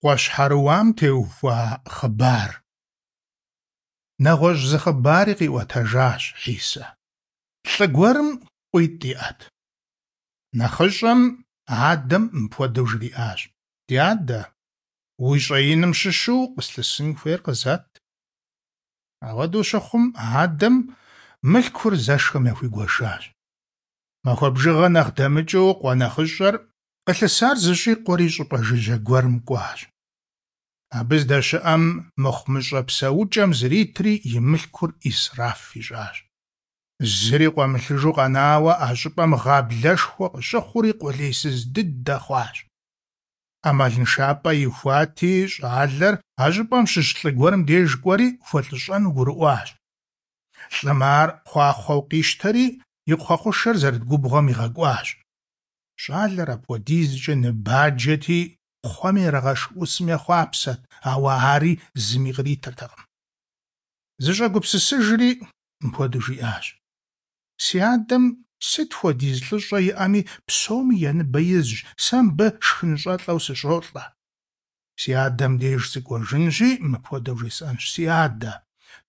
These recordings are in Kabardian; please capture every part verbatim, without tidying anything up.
Къуэ щхьэрыуам теухуа хъыбар. Нэгъуэщӏ зы хъыбари къиӏуэтэжащ Хьисэ. Лӏы гуэрым къуитӏ иӏэт. Нэхъыщӏэм адэм мыпхуэдэу жриӏащ: «Ди адэ, уи щӏэиным щыщу къыслъысын хуейр къызэт». Апхуэдэу щыхъум, адэм мылъкур зэшхэм яхуигуэшащ. Махуэ бжыгъэ нэхъ дэмыкӏыу къуэ нэхъыщӏэр къылъысар зыщӏикъуэри щӏыпӏэ жыжьэ гуэрым кӏуащ. Абы здэщыӏэм мыхъумыщӏэ псэукӏэм зритри и мылъкур ӏисраф ищӏащ. Зыри къуэмылъыжу къэнауэ а щӏыпӏэм гъаблэшхуэ къыщыхъури къулейсыз дыдэ хъуащ. Ӏэмалыншапӏэ ихуати, щӏалэр а щӏыпӏэм щыщ лӏы гуэрым деж кӏуэри хуэлӏыщӏэну гурыӏуащ. Лӏым ар кхъуахъуэу къищтэри и кхъуэ хъушэр зэрыт губгъуэм игъэкӏуащ. Щӏалэр апхуэдизкӏэ ныбаджэти, кхъуэм ирагъэшх ӏусым ехъуапсэрт, ауэ ари зыми къритыртэкъым. Зыщӏэгупсысыжри, мыпхуэдэу жиӏащ: «Си адэм сыт хуэдиз лӏыщӏэ иӏэми, псоми я ныбэ изщ, сэ мыбы шхынщӏэлӏэу сыщӏолӏэ. Си адэм деж сыкӏуэжынщи, мыпхуэдэу жесӏэнщ: Си адэ,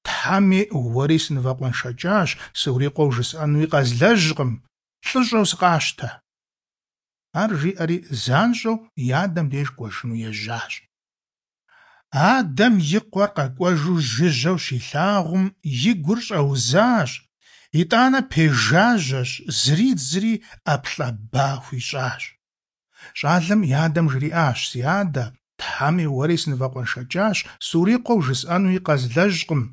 Тхьэми уэри сынывэкъуэншэкӏащ, сыурикъуэу жысӏэнуи къэзлэжькъым, лӏыщӏэу сыкъащтэ». Ар жиӏэри занщӏэу и адэм деж кӏуэжыну ежьащ. Адэм и къуэр къэкӏуэжу жыжьэу щилъагъум, и гур щӏэузащ, итӏанэ пежажьэщ, зридзри ӏэплӏэ ба хуищӏащ. Щӏалэм и адэм жриӏащ: «Си адэ, Тхьэми уэри сынывэкъуэншэкӏащ, сурикъуэу жысӏэнуи къэзлэжькъым».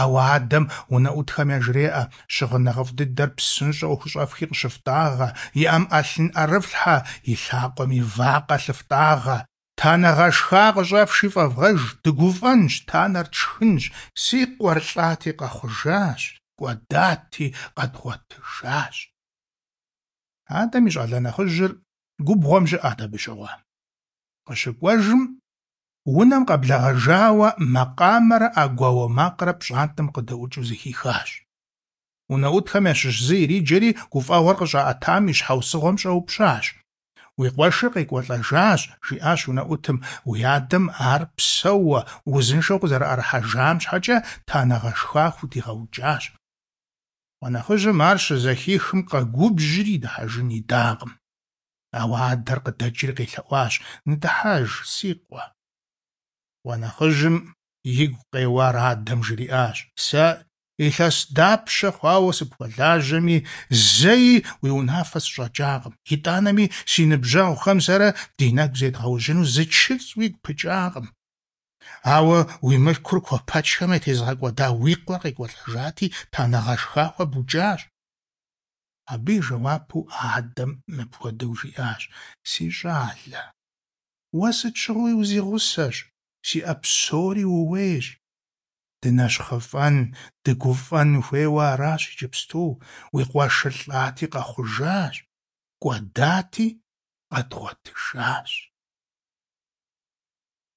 Ауэ адэм унэӏутхэм яжреӏэ: «Щыгъын нэхъыфӏ дыдэр псынщӏэу хущӏэфхи къыщыфтӏагъэ, и ӏэм ӏэлъын ӏэрыфлъхьэ, и лъакъуэми вакъэ лъыфтӏагъэ. Танэ гъэшха къыщӏэфши фӏэвгъэж, дыгуфӏэнщ, танэр тшхынщ. Си къуэр лӏати къэхъужащ, кӏуэдати къэдгъуэтыжащ». Адэм и щӏалэ нэхъыжьыр губгъуэм щыӏэт абы щыгъуэ. Къыщыкӏуэжым, унэм къэблэгъэжауэ макъамэрэ ӏэгуауэ макърэ пщӏантӏэм къыдэӏукӏыу зэхихащ. Унэӏутхэм ящыщ зы ириджэри гуфӏэгъуэр къыщӏаӏэтам и щхьэусыгъуэм щӏэупщӏащ. «Уи къуэшыр къекӏуэлӏэжащ, – жиӏащ унэӏутым, – уи адэм ар псэууэ, узыншэу къызэрыӏэрыхьэжам щхьэкӏэ танэ гъэшха худигъэукӏащ». Къуэ нэхъыжьым ар щызэхихым къэгубжьри дыхьэжын идакъым. Ауэ адэр къыдэкӏри къелъэӏуащ: «Ныдыхьэж, си къуэ». Къуэ нэхъыжьым игу къеуар адэм жриӏащ: «Сэ илъэс дапщэ хъуауэ сыпхуэлажьэми, зэи уи унафэ сыщӏэкӏакъым, итӏанэми си ныбжьэгъухэм сэрэ ди нэгу зедгъэужьыну зы чыцӏ уигу пыкӏакъым. Ауэ уи мылъкур куэпэчхэм ятезыгъэкӏуэда уи къуэр къекӏуэлӏэжати, танэ гъэшха хуэбукӏащ». Абы и жэуапу адэм мыпхуэдэу жиӏащ: «Си щӏалэ, уэ сыт щыгъуи узигъусэщ, сиӏэ псори ууейщ. Дынэщхъыфӏэн, дыгуфӏэн хуейуэ аращ иджыпсту, уи къуэшыр лӏати къэхъужащ, кӏуэдати къэдгъуэтыжащ».